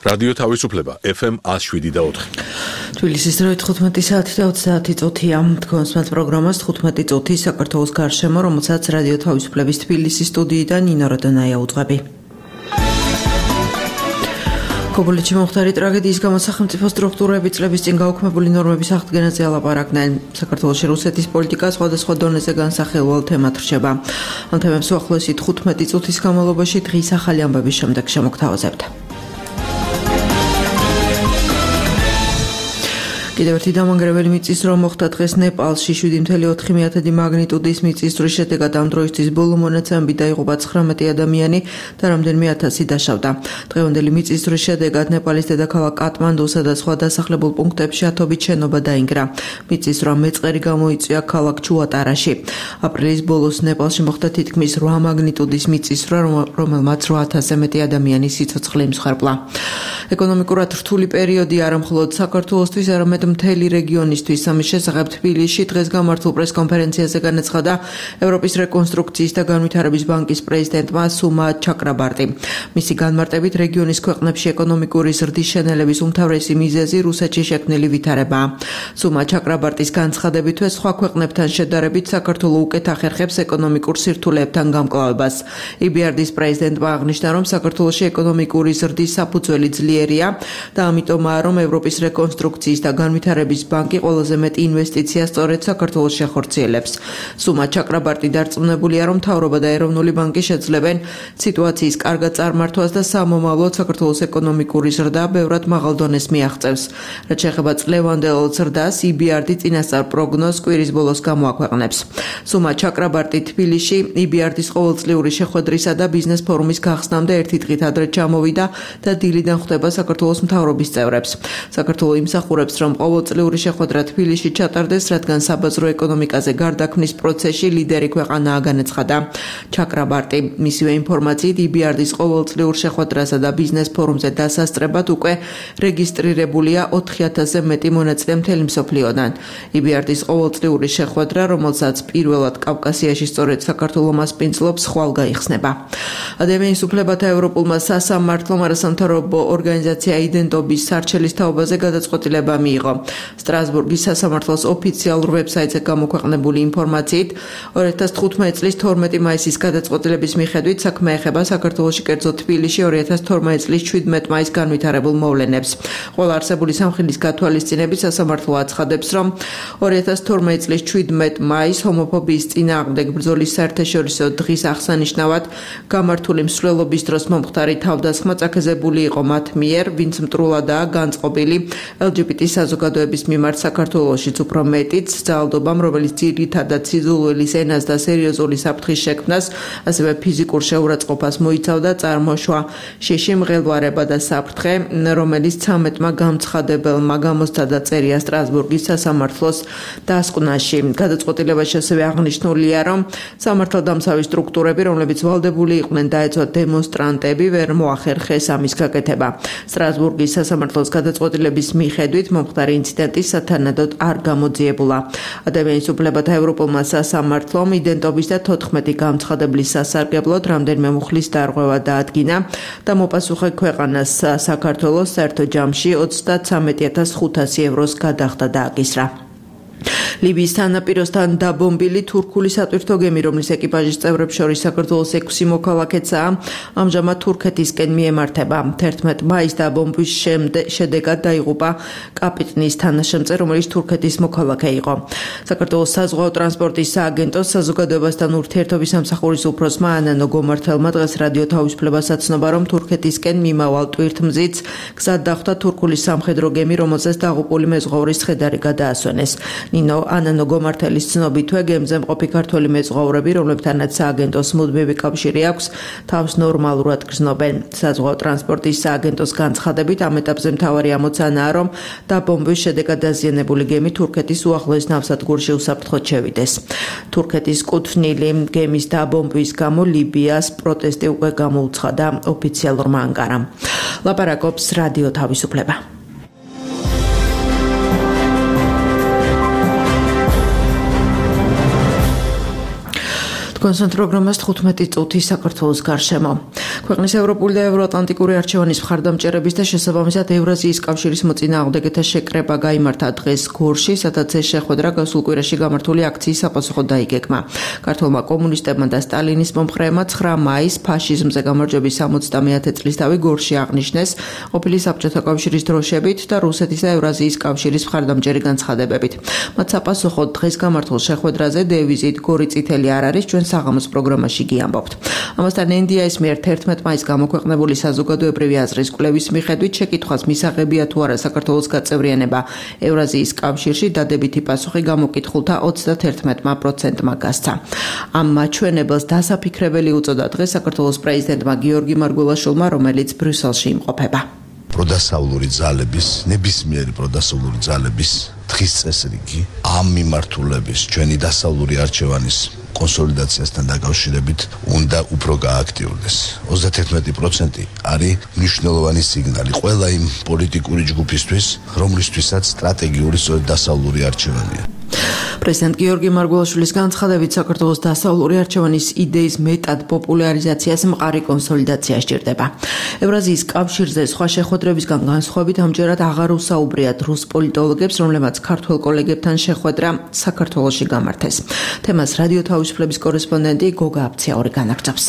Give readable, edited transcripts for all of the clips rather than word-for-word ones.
რადიო თავისუფლება FM 107.4. თბილისის დროით 15 საათი და 30 წუთია. თქვენს პროგრამას 15 წუთი საქართველოს გარშემო, რომელსაც რადიო თავისუფლების თბილისის სტუდიიდან ნინო როდონაია უძღვები. ქობულეთში მომხდარი ტრაგედიის გამო სახელმწიფო სტრუქტურები წლების წინ გაუქმებული ნორმების აღდგენაზე ალაპარაკდნენ. საქართველოში რუსეთის პოლიტიკა სხვადასხვა დონეზე განსახილველ თემად რჩება. ამ თემებს უახლოესი 15 წუთის განმავლობაში დღის ახალი ამბების შემდეგ შემოგთავაზებთ. კიდევ ერთი დამანგრეველი მიწისძვრა მოხდა დღეს ნეპალში 7.4 მაგნიტუდის მიწისძვრის შედეგად ამ დროისთვის ბოლო მონაცემებით დაიღუპა 19 ადამიანი და რამდენიმე ათასი დაშავდა. დღევანდელი მიწისძვრის შედეგად ნეპალის დედაქალაქ კატმანდუსა და სხვა დასახლებულ პუნქტებში ათობით შენობა დაინგრა. მიწისძვრა მეწყერი გამოიწვია ქალაქ ჩუატარაში. აპრილის ბოლოს ნეპალში მოხდა თითქმის 8 მაგნიტუდის მიწისძვრა, რომელმაც 8,000-ზე მეტი ადამიანის სიცოცხლე იმსხვრებლა. ეკონომიკურად რთული პერიოდი არა მხოლოდ საქართველოსთვის, არამედ მთელი რეგიონისთვის. ამის შესახებ თბილისში დღეს გამართულ პრესკონფერენციაზე განაცხადა ევროპის რეკონსტრუქციის და განვითარების ბანკის პრეზიდენტმა სუმა ჩაკრაბარტი. მისი განმარტებით რეგიონის ქვეყნებში ეკონომიკური ზრდის შენელების უმთავრესი მიზეზი რუსეთში შექმნილი ვითარებაა. სუმა ჩაკრაბარტის განცხადებითვე სხვა ქვეყნებთან შედარებით საქართველო უკეთ ახერხებს ეკონომიკურ სირთულეებთან გამკლავებას. EBRD-ის პრეზიდენტმა აღნიშნა, რომ საქართველოში ეკონომიკური ზრდის საფუძველი ძლიერია და ამიტომაა, რომ ევროპის რეკონსტრუქციის და განვითარების ბანკი ყველაზე მეტ ინვესტიციას სწორედ საქართველოს შეხორციელებს. სუმა ჩაკრაბარტი დარწმუნებულია, რომ მთავრობა და ეროვნული ბანკი შეძლებენ სიტუაციის კარგად წარმართვას და სამომავლოდ საქართველოს ეკონომიკური ზრდა ბევრად მაღალ დონეს მიაღწევს. რაც შეეხება წლევანდელ ზრდას, EBRD წინასწარ პროგნოზს კვირის ბოლოს გამოაქვეყნებს. სუმა ჩაკრაბარტი თბილისში EBRD-ის ყოველწლიური შეხვედრისა და ბიზნეს ფორუმის გახსნამდე ერთი დღით ადრე ჩამოვიდა და დილიდან ხვდება საქართველოს მთავრობის წევრებს. საქართველო იმსახურებს, რომ ყოველწლიური შეხვედრა თბილისში ჩატარდეს, რადგან საბაზრო ეკონომიკაზე გარდაქმნის პროცესში ლიდერი ქვეყანაა, განაცხადა ჩაკრაბარტი. მისივე ინფორმაციით, EBRD-ის ყოველწლიურ შეხვედრასა და ბიზნეს ფორუმზე დასასწრებად უკვე რეგისტრირებულია 4,000-ზე მეტი მონაწილე მთელი მსოფლიოდან. EBRD-ის ყოველწლიური შეხვედრა, რომელსაც პირველად კავკასიაში სწორედ საქართველო მასპინძლობს, ხვალ გაიხსნება. ადამიანის უფლებათა ევროპულმა სასამართლომ არასამთავრობო ორგანიზაცია იდენტობის სარჩელის თაობაზე გადაწყვეტილება მიიღო. სტრასბურგის სასამართლოს ოფიციალურ ვებსაიტზე გამოქვეყნებული ინფორმაციით 2015 წლის 12 მაისის გადაწყვეტილების მიხედვით საქმე ეხება საქართველოში, კერძოდ თბილისში 2012 წლის 17 მაისს განვითარებულ მოვლენებს. ყველა არსებული სამხილის გათვალისწინებით სასამართლო აცხადებს, რომ 2012 წლის 17 მაისს ჰომოფობიის წინააღმდეგ ბრძოლის საერთაშორისო დღის აღსანიშნავად გამართული მსვლელობის დროს მომხდარი თავდასხმა წაქეზებული იყო მათ მიერ, ვინც მტრულადაა განწყობილი LGBT საზოგადოების მიმართ საქართველოშიც, უფრო მეტიც ძალადობამ, რომელიც ძირითადად სიძულვილის ენას და სერიოზული საფრთხის შექმნას, ასევე ფიზიკურ შეურაცხყოფას მოიცავდა, წარმოშვა შიში მღელვარება და საფრთხე, რომელიც 13-მა გამცხადებელმა გამოსცადა წერია სტრასბურგის სასამართლოს დასკვნაში. გადაწყვეტილებაში ასევე აღნიშნულია, რომ სამართალდამცავი სტრუქტურები, რომლებიც ვალდებული იყვნენ დაეცვათ დემონსტრანტები, ვერ მოახერხეს ამის გაკეთება. სტრასბურგის სასამართლოს გადაწყვეტილების მიხედვით მომხდარი ინციდენტი სათანადოდ არ გამოძიებულა. ადამიანის უფლებათა ევროპულმა სასამართლომ იდენტობის და 14 გამცხადebლის სასარგებლოდ რამდენიმე მუხლის დარღვევა დაადგინა და მოპასუხე ქვეყანას საქართველოს საერთო ჯამში 33,500 ევროს გადახდა დააკისრა. ლიბიის თანაპიროსთან დაბომბილი თურქული სატვირთო გემი, რომლის ეკიპაჟის წევრებს შორის საქართველოს 6 მოქალაქეცაა, ამჟამად თურქეთისკენ მიემართება. 11 მაისს დაბომბვის შედეგად დაიღუპა კაპიტნის თანაშემწე, რომელიც თურქეთის მოქალაქე იყო. საქართველოს საზღვაო ტრანსპორტის სააგენტოს საზოგადოებასთან ურთიერთობის სამსახურის უფროსმა ანანო გომართელმა დღეს რადიო თავისუფლებას აცნობა, რომ თურქეთისკენ მიმავალ ტვირთმზიც გზად დახვდა თურქული სამხედრო გემი, რომელზეც დაღუპული მეზღვაურის ცხედარი გადაასვენეს. ნინო ანანო გომართელის ცნობითვე გემზე მყოფი ქართველი მეზღვაურები, რომლებთანაც სააგენტოს მუდმივი კავშირი აქვს, თავს ნორმალურად გრძნობენ. საზღვაო ტრანსპორტის სააგენტოს განცხადებით, ამ ეტაპზე მთავარი ამოცანაა, რომ დაბომბვის შედეგად დაზიანებული გემი თურქეთის უახლოეს ნავსადგურში უსაფრთხოდ შევიდეს. თურქეთის კუთვნილი გემის დაბომბვის გამო ლიბიას პროტესტი უკვე გამოუცხადა ოფიციალურმა ანკარამ. ლაპარაკობს რადიო თავისუფლება. თქვენს პროგრამას 15 წუთი საქართველოს გარშემო. ქვეყნის ევროპული და ევროატლანტიკური არჩევანის მხარდამჭერების და შესაბამისად ევრაზიის კავშირის მოწინააღმდეგეთა შეკრება გაიმართა დღეს გორში, სადაც ეს შეხვედრა გასულ კვირაში გამართული აქციის საპასუხოდ დაიგეგმა. ქართველმა კომუნისტებმა და სტალინის მომხრეებმა 9 მაისს ფაშიზმზე გამარჯვების 70-ე წლის თავი გორში აღნიშნეს ყოფილი საბჭოთა კავშირის დროშებით და რუსეთის და ევრაზიის კავშირის მხარდამჭერი განცხადებებით. მათ საპასუხოდ დღეს გამართულ შეხვედრაზე დევიზით გორი წითელი არ არის ჩვენ საღამოს პროგრამაში გიამბობთ. ამასთან NDI-ის მიერ 11 მაისს გამოქვეყნებული საზოგადოებრივი აზრის კვლევის მიხედვით შეკითხვას მისაღებია თუ არა საქართველოს გაწევრიანება ევრაზიის კავშირში, დადებითი პასუხი გამოკითხულთა 31%-მა გასცა. ამ მაჩვენებელს დასაფიქრებელი უწოდა დღეს საქართველოს პრეზიდენტმა გიორგი მარგველაშვილმა, რომელიც ბრიუსელში იმყოფება. პროდასავლური ძალების, ნებისმიერი პროდასავლური ძალების დღის წესრიგი ამ მიმართულების ჩვენი დასავლური არჩევანის კონსოლიდაციასთან დაკავშირებით უნდა უფრო გააქტიურდეს. 31% არის მნიშვნელოვანი სიგნალი ყველა იმ პოლიტიკური ჯგუფისთვის, რომლისთვისაც სტრატეგიული სწორედ დასავლური არჩევანია. პრეზიდენტ გიორგი მარგველაშვილის განცხადებით საქართველოს დასავლური არჩევანის იდეის მეტად პოპულარიზაციას მყარი კონსოლიდაცია სჭირდება. ევრაზიის კავშირზე სხვა შეხვედრებისგან განსხვავებით ამჯერად აღარ უსაუბრიათ რუს პოლიტოლოგებს, რომლებმაც ქართველ კოლეგებთან შეხვედრა საქართველოში გამართეს. თემას რადიო თავისუფლების კორესპონდენტი გოგა აფციაური განაგრძობს.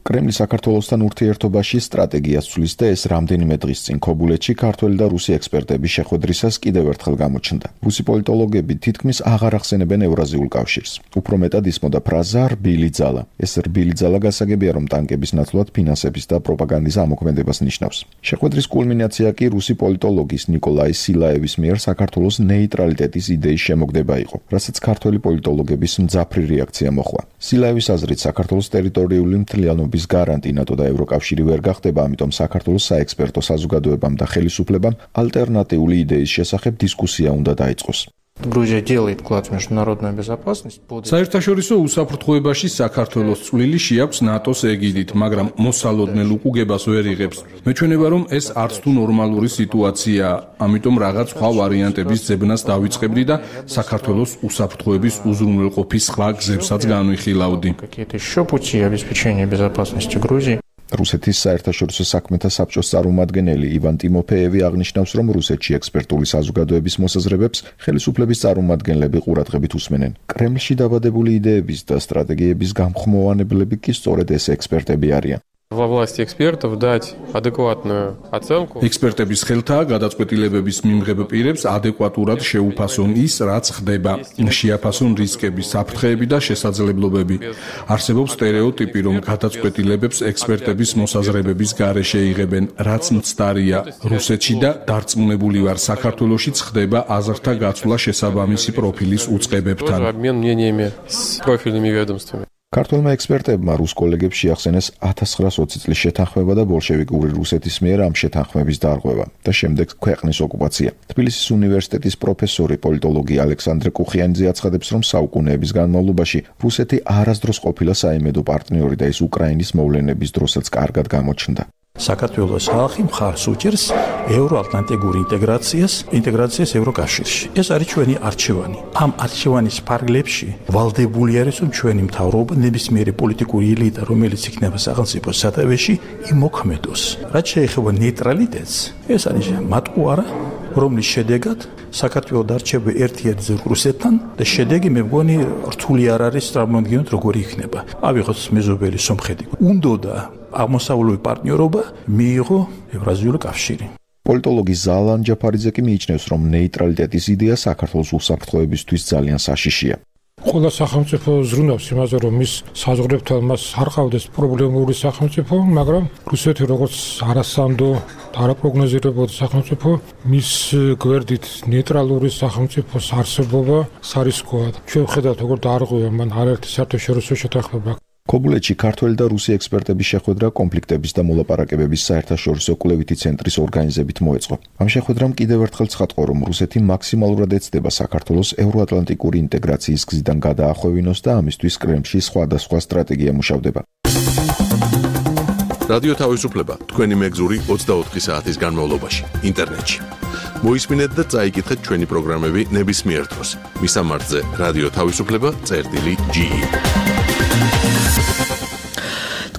კრემლი საქართველოსთან ურთიერთობაში სტრატეგიას ცვლის და ეს რამდენიმე დღის წინ ქობულეთში ქართველი და რუსი ექსპერტების შეხვედრისას კიდევ ერთხელ გამოჩნდა. რუსი პოლიტოლოგები თითქმის აღარ ახსენებენ ევრაზიულ კავშირს. უფრო მეტად ისმოდა ფრაზა რბილი ძალა. ეს რბილი ძალა გასაგებია, რომ ტანკების ნაცვლად ფინანსების და პროპაგანდის ამოქმედებას ნიშნავს. შეხვედრის კულმინაცია კი რუსი პოლიტოლოგის ნიკოლაი სილაევის მიერ საქართველოს ნეიტრალიტეტის იდეის შემოგდება იყო, რასაც ქართველი პოლიტოლოგების მძაფრი რეაქცია მოჰყვა. სილაევის აზრით საქართველოს ტერიტორიული მთლიანობის გარანტი ნატო და ევროკავშირი ვერ გახდება, ამიტომ საქართველოს საექსპერტო საზოგადოებამ და ხელისუფლებამ ალტერნატიული იდეის შესახებ დისკუსია უნდა დაიწყოს. Грузия делает вклад в международную безопасность. საერთაშორისო უსაფრთხოებაში საქართველოს წვლილი შეაქვს ნატოს ეგიდით, მაგრამ მოსალოდნელ უკუგებას ვერ იღებს. მეჩვენება, რომ ეს არც თუ ნორმალური სიტუაციაა, ამიტომ რაღაც სხვა ვარიანტების ძებნას დავიწყებდი და საქართველოს უსაფრთხოების უზრუნველყოფის სხვა გზებსაც განვიხილავდი. Какие-то еще пути обеспечения безопасности Грузии. რუსეთის საერთაშორისო საქმეთა საბჭოს წარმომადგენელი ივან ტიმოფეევი აღნიშნავს, რომ რუსეთში ექსპერტული საზოგადოების მოსაზრებებს ხელისუფლების წარმომადგენლები ყურადღებით უსმენენ. კრემლში დაბადებული იდეების და სტრატეგიების გამხმოვანებლები კი სწორედ ეს ექსპერტები არიან. Во власти экспертов дать адекватную оценку. ექსპერტების ხელთაა გადაწყვეტილებების მიმღებ პირებს ადეკვატურად შეუფასონ ის, რაც ხდება, შეაფასონ რისკები, საფრთხეები და შესაძლებლობები. არსებობს სტერეოტიპი, რომ გადაწყვეტილებებს ექსპერტების მოსაზრებების გარეშე იღებენ, რაც მცდარია. რუსეთში და დარწმუნებული ვარ, საქართველოშიც ხდება აზრთა გაცვლა შესაბამისი პროფილის უწყებებთან. Обмен мнениями с профильными ведомствами. ქართველმა ექსპერტებმა რუს კოლეგებს შეახსენეს 1920 წლის შეთანხმება და ბოლშევიკური რუსეთის მიერ ამ შეთანხმების დარღვევა და შემდეგ ქვეყნის ოკუპაცია. თბილისის უნივერსიტეტის პროფესორი პოლიტოლოგი ალექსანდრე კუხიანიძე აცხადებს, რომ საუკუნეების განმავლობაში რუსეთი არასდროს ყოფილა საიმედო პარტნიორი და ის უკრაინის მოვლენების დროსაც კარგად გამოჩნდა. საქართველოს ხალხი მხარს უჭერს ევროატლანტიკურ ინტეგრაციას ევროკავშირში. ეს არის ჩვენი არჩევანი. ამ არჩევანის ფარგლებში ვალდებული არის, რომ ჩვენი მთავრობა ნებისმიერი პოლიტიკური ელიტა, რომელიც იქნება სახელმწიფოს სათავეში, იმოქმედოს. რაც შეეხება ნეიტრალიტეტს, ეს არის მატყუარა, რომლის შედეგად საქართველოს დარჩება ერთიერთზე რუსეთთან და შედეგი მე მგონი რთული არ არის წარმოვიდგინოთ როგორი იქნება. ავიღოთ მეზობელი სომხეთი. უნდოდა აღმოსავლური პარტნიორობა მიიღო ევრაზიული კავშირი. პოლიტოლოგი ზალან ჯაფარიძე კი მიიჩნევს, რომ ნეიტრალიტეტის იდეა საქართველოს უსაფრთხოებისთვის ძალიან საშიშია. ყველა სახელმწიფო ზრუნავს იმაზე, რომ მის საზღვრებთან მას არ ყავდეს პრობლემური სახელმწიფო, მაგრამ რუსეთი როგორც არასამდო და არაპროგნოზირებადი სახელმწიფო, მის გვერდით ნეიტრალური სახელმწიფოს არსებობა სარისკოა. ჩვენ ვხედავთ, როგორ დაარღვია მან არაერთი საერთაშორისო შეთანხმება. ქობულეთში ქართველი და რუსი ექსპერტების შეხვედრა კონფლიქტების და მოლაპარაკებების საერთაშორისო კვლევითი ცენტრის ორგანიზებით მოეწყო. ამ შეხვედრამ კიდევ ერთხელ ცხადყო, რომ რუსეთი მაქსიმალურად ეცდება საქართველოს ევროატლანტიკური ინტეგრაციის გზიდან გადაახვევინოს და ამისთვის კრემლში სხვადასხვა სტრატეგია მუშავდება. რადიო თავისუფლება თქვენი მეგზური 24 საათის განმავლობაში ინტერნეტში. მოისმინეთ და წაიკითხეთ ჩვენი პროგრამები ნებისმიერ დროს. მისამართზე რადიო თავისუფლება წერტილი.ge.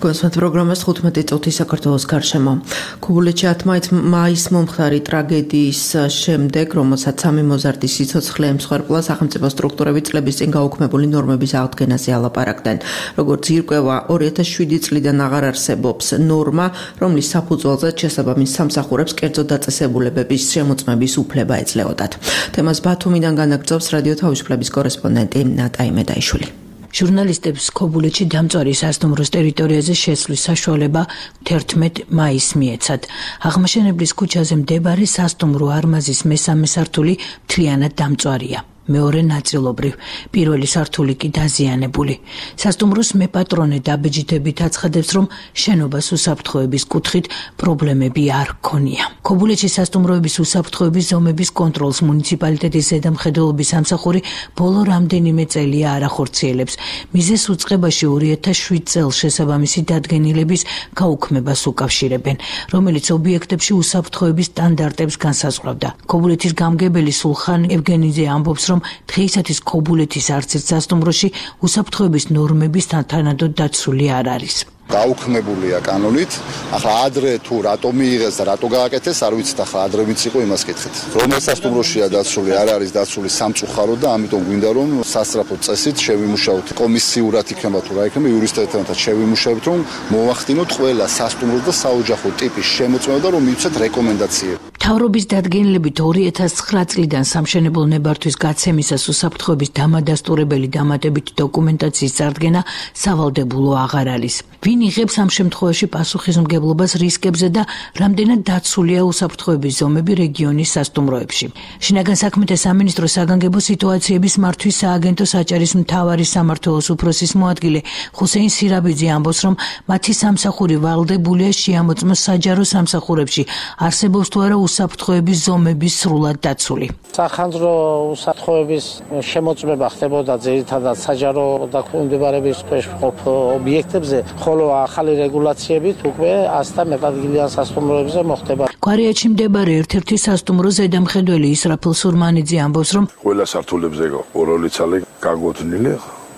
კონსერვატ პროგრამას 15 წუთი საქართველოს გარშემო. ქობულეთში 10 მაისს მომხდარი ტრაგედიის შემდეგ, რომელსაც სამი მოზარდი სიცოცხლე ემსხვერპლა, სახელმწიფო სტრუქტურები წლების წინ გაუქმებული ნორმების აღდგენაზე ალაპარაკდნენ. როგორც ირკვევა, 2007 წლიდან აღარ არსებობს ნორმა, რომლის საფუძველზეც შესაბამის სამსახურებს კერძო დაწესებულებების შემოწმების უფლება ეძლეოდათ. თემას ბათუმიდან განაგრძობს რადიო თავისუფლების კორესპონდენტი ნატაი მედაიშვილი. ჟურნალისტებს ქობულეთში დამწვარი სასტუმროს ტერიტორიაზე შესვლის საშუალება 11 მაისს მიეცათ. აღმაშენებლის ქუჩაზე მდებარე სასტუმრო არმაზის მესამე სართული მთლიანად დამწვარია. მეორე ნაწილობრივ, პირველი სართული კი დაზიანებული. სასტუმროს მეპატრონე დაბეჯითებით აცხადებს, რომ შენობას უსაფრთხოების კუთხით პრობლემები არ ჰქონია. ქობულეთში სასტუმროების უსაფრთხოების ზომების კონტროლს მუნიციპალიტეტის ზედამხედველობის სამსახური ბოლო რამდენიმე წელია არ ახორციელებს. მიზეს უწყებაში 2007 წელს შესაბამისი დადგენილების გაუქმებას უკავშირებენ, რომელიც ობიექტებში უსაფრთხოების სტანდარტებს განსაზღვრავდა. ქობულეთის გამგებელი სულხან ევგენიძე ამბობს, რომ დღეისათვის ქობულეთის არც ერთ სასტუმროში უსაფრთხოების ნორმების თანადოდ დაცული არ არის. გაუქმებულია კანონით. ახლა ადრე თუ რატო მიიღეს და რატო გააკეთეს, არ ვიცით. ახლა ადრე ვინც იყო იმას კითხეთ. რომელ სასტუმროშია დაცული, არ არის დაცული სამწუხარო და ამიტომ გვინდა რომ სასწრაფო წესით შევიმუშაოთ. კომისიურად იქნება თუ რა იქნება, იურისტებთან შევიმუშაოთ, რომ მოვახდინოთ ყველა სასტუმროს და საოჯახო ტიპის შემოწმება და რომ მივცეთ რეკომენდაციები. მთავრობის დადგენილებით 2009 წლიდან სამშენებლო ნებართვის გაცემისას უსაფრთხოების დამადასტურებელი დამატებითი დოკუმენტაციის წარდგენა სავალდებულო აღარ არის. ვინ იღებს ამ შემთხვევაში პასუხისმგებლობას რისკებზე და რამდენად დაცულია უსაფრთხოების ზომები რეგიონის სასტუმროებში. შინაგან საქმეთა სამინისტროს საგანგებო სიტუაციების მართვის სააგენტოს აჭარის მთავარი სამმართველოს უფროსის მოადგილე ხუსეინ სირაბიძე ამბობს, რომ მათი სამსახური ვალდებულია შეამოწმოს საჯარო სამსახურებში არსებობს თუ არა უსაფრთხოების ზომების სრულად დაცული. სახანძრო უსაფრთხოების შემოწმება ხდებოდა ძირითადად საჯარო დაქვემდებარების ქვეშ მყოფ ობიექტებზე, ხოლო ახალი რეგულაციებით უკვე ასთა მეტადგილიან სასტუმროებზე მოხდება. კვარიატში მდებარე ერთ-ერთი სასტუმრო ზედამხედველი ისრაფილ სურმანიძე ამბობს, რომ ყველა სართულებზე ორ-ორი ცალი გაგოთნილი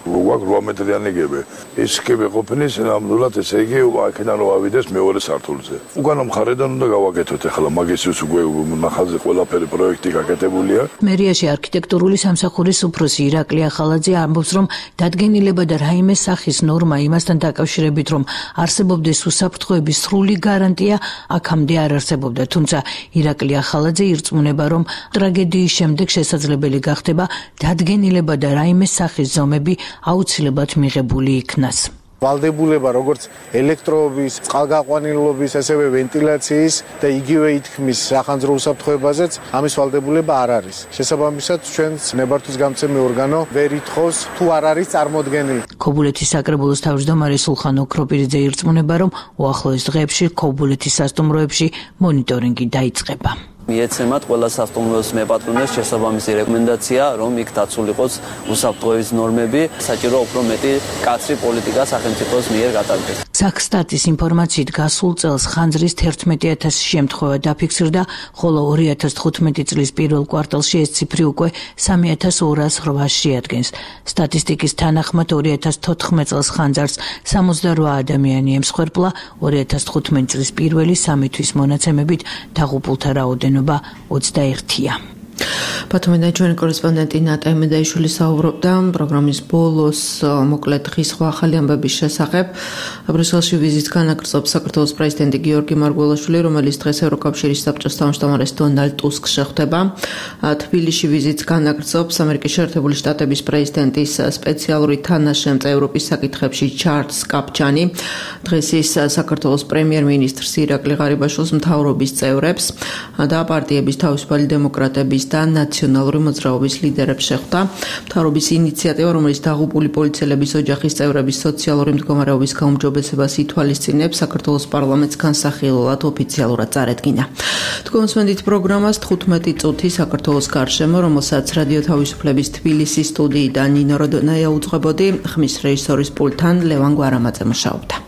ვაგ 8 მეტრიანი გები. ეს გები ყოფნის ნამდვილად ესე იგი აქედან რო ავიდეს მეორე სართულზე. უკანა მხარედან უნდა გავაკეთოთ ახლა მაგისის უკვე ნახალზე ყველაფერი პროექტი გაკეთებულია. მერიაში არქიტექტურული სამსახურის უფროსი ირაკლი ახალაძე ამბობს, რომ დადგენილება და რაიმე სახის ნორმა იმასთან დაკავშირებით, რომ არსებობდეს უსაფრთხოების სრული გარანტია, აქამდე არ არსებობდა. თუმცა ირაკლი ახალაძე ირწმუნება, რომ ტრაგედიის შემდეგ შესაძლებელი გახდება დადგენილება და რაიმე სახის ზომები აუცილებლად მიღებული იქნას. ვალდებულება როგორც ელექტროობის, წყალგაყვანილობის, ასევე ვენტილაციის და იგივე ითქმის სახანძრო უსაფრთხოებაზეც ამის ვალდებულება არ არის. შესაბამისად, ჩვენს ნებართვის გამცემი ორგანო ვერ ითხოვს თუ არ არის წარმოდგენილი. ქობულეთის საკრებულოს თავმჯდომარე სულხან ოქროპირიძე ირწმუნება, რომ უახლოეს დღეებში ქობულეთის სასტუმროებში მონიტორინგი დაიწყება. მიეცემათ ყველა სასტუმროს მეპატრონეს შესაბამისი რეკომენდაცია, რომ იქ დაცული იყოს უსაფრთხოების ნორმები, საჭირო უფრო მეტი კაცრი პოლიტიკა სახელმწიფოს მიერ გატარდეს. საქსტატის ინფორმაციით გასულ წელს ხანძრის 11,000 შემთხვევა დაფიქსირდა, ხოლო 2015 წლის პირველ კვარტალში ეს ციფრი უკვე 3,208-ს შეადგენს. სტატისტიკის თანახმად 2014 წელს ხანძარს 68 ადამიანი ემსხვერპლა, 2015 წლის პირველი 3 თვის მონაცემებით დაღუპულთა რაოდენობა 21-ია. ბათუმიდან ჩვენი კორესპონდენტი ნატაი მედაიშვილი საუბრობდა პროგრამის ბოლოს მოკლედ დღის სხვა ახალი ამბების შესახებ. ბრიუსელში ვიზიტს განაგრძობს საქართველოს პრეზიდენტი გიორგი მარგველაშვილი, რომელიც დღეს ევროკავშირის საბჭოს თავმჯდომარეს დონალდ ტუსკს შეხვდება. თბილისში ვიზიტს განაგრძობს ამერიკის შეერთებული შტატების პრეზიდენტის სპეციალური თანაშემწე ევროპის საკითხებში ჩარლზ კაპჩანი. დღეს ის საქართველოს პრემიერ-მინისტრს ირაკლი ღარიბაშვილს, მთავრობის წევრებს და პარტიების თავისუფალი დემოკრატების და ნაციონალური მოძრაობის ლიდერებს შეხვდა. მთავრობის ინიციატივა, რომელიც დაღუპული პოლიციელების ოჯახის წევრების სოციალური მდგომარეობის გაუმჯობესებას ითვალისწინებს, საქართველოს პარლამენტს განსახილველად ოფიციალურად წარედგინა. თქვენს პროგრამას 15 წუთი საქართველოს გარშემო, რომელსაც რადიო თავისუფლების თბილისის სტუდიიდან ნინო როდონაია უძღვებოდი, ხმის რეჟისორის პულტთან ლევან გვარამაძე მუშაობდა.